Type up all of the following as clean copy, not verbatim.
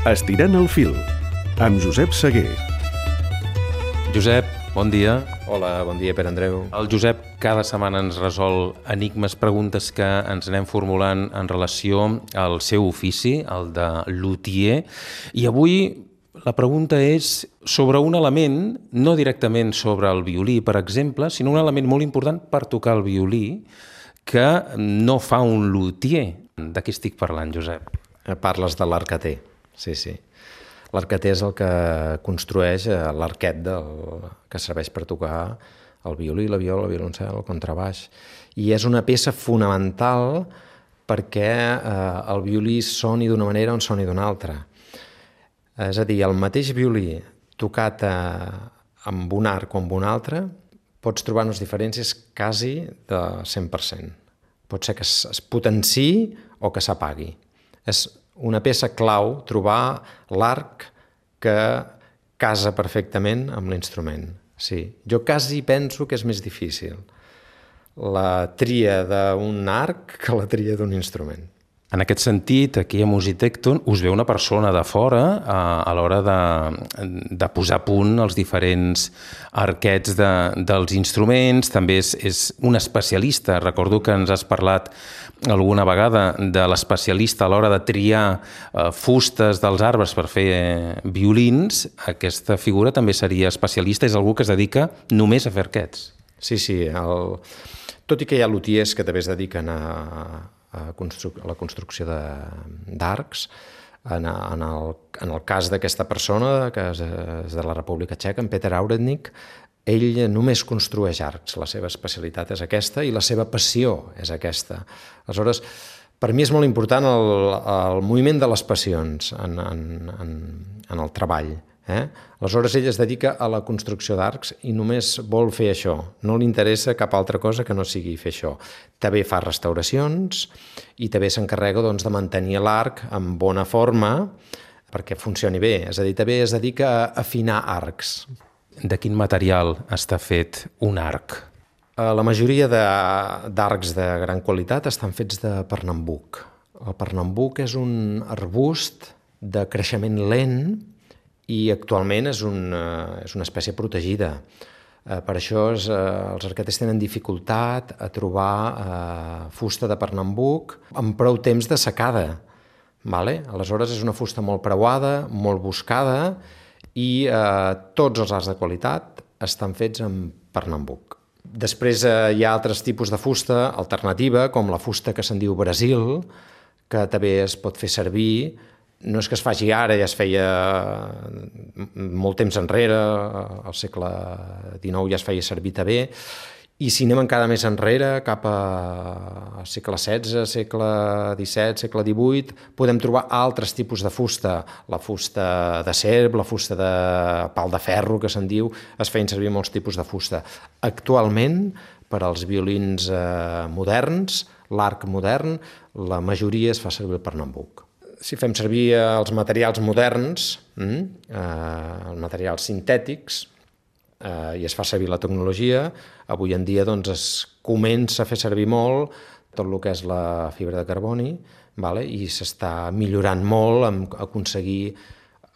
Estirant el fil, amb Josep Seguer. Josep, bon dia. Hola, bon dia, Pere Andreu. El Josep cada setmana ens resol enigmes, preguntes que ens anem formulant en relació al seu ofici, el de luthier, i avui la pregunta és sobre un element, no directament sobre el violí, per exemple, sinó un element molt important per tocar el violí que no fa un luthier. De què estic parlant, Josep? Parles de l'arqueter, sí. L'arqueter és el que construeix l'arquet que serveix per tocar el violí, la viola, el violoncel, el contrabaix. I és una peça fonamental perquè el violí soni d'una manera o soni d'una altra. És a dir, el mateix violí tocat amb un arc o amb un altre, pots trobar unes diferències quasi de 100%. Pot ser que es potenciï o que s'apagui. És una peça clau trobar l'arc que casa perfectament amb l'instrument. Sí, jo quasi penso que és més difícil la tria d'un arc que la tria d'un instrument. En aquest sentit, aquí a Musitecton us ve una persona de fora a l'hora de posar a punt els diferents arquets dels instruments. També és un especialista. Recordo que ens has parlat alguna vegada de l'especialista a l'hora de triar fustes dels arbres per fer violins. Aquesta figura també seria especialista. És algú que es dedica només a fer arquets. Sí. Tot i que hi ha luthiers que també es dediquen a la construcció d'arcs. En el cas d'aquesta persona, que és de la República Txeca, en Peter Aurednik, ell només construeix arcs. La seva especialitat és aquesta i la seva passió és aquesta. Aleshores, per mi és molt important el moviment de les passions en el treball. Aleshores, ell es dedica a la construcció d'arcs i només vol fer això. No li interessa cap altra cosa que no sigui fer això. També fa restauracions i també s'encarrega de mantenir l'arc en bona forma perquè funcioni bé. És a dir, també es dedica a afinar arcs. De quin material està fet un arc? La majoria d'arcs de gran qualitat estan fets de pernambuc. El pernambuc és un arbust de creixement lent i actualment és una espècie protegida. Per això els arqueters tenen dificultat a trobar fusta de pernambuc amb prou temps de secada. Aleshores és una fusta molt preuada, molt buscada i tots els arcs de qualitat estan fets amb pernambuc. Després hi ha altres tipus de fusta alternativa, com la fusta que se'n diu Brasil, que també es pot fer servir. No és que es faci ara, ja es feia molt temps enrere, al segle XIX ja es feia servir també, i si anem encara més enrere, cap al segle XVI, segle XVII, segle XVIII, podem trobar altres tipus de fusta. La fusta de serp, la fusta de pal de ferro, que se'n diu, es feien servir molts tipus de fusta. Actualment, per als violins moderns, l'arc modern, la majoria es fa servir el pernambuc. Si fem servir els materials moderns, els materials sintètics, i es fa servir la tecnologia, avui en dia es comença a fer servir molt tot el que és la fibra de carboni, i s'està millorant molt en aconseguir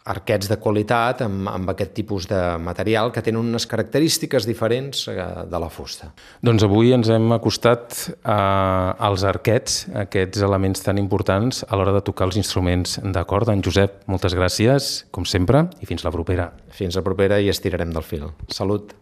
arquets de qualitat amb aquest tipus de material que tenen unes característiques diferents de la fusta. Doncs avui ens hem acostat als arquets, aquests elements tan importants a l'hora de tocar els instruments de corda. En Josep, moltes gràcies, com sempre, i fins la propera. Fins la propera i estirarem del fil. Salut!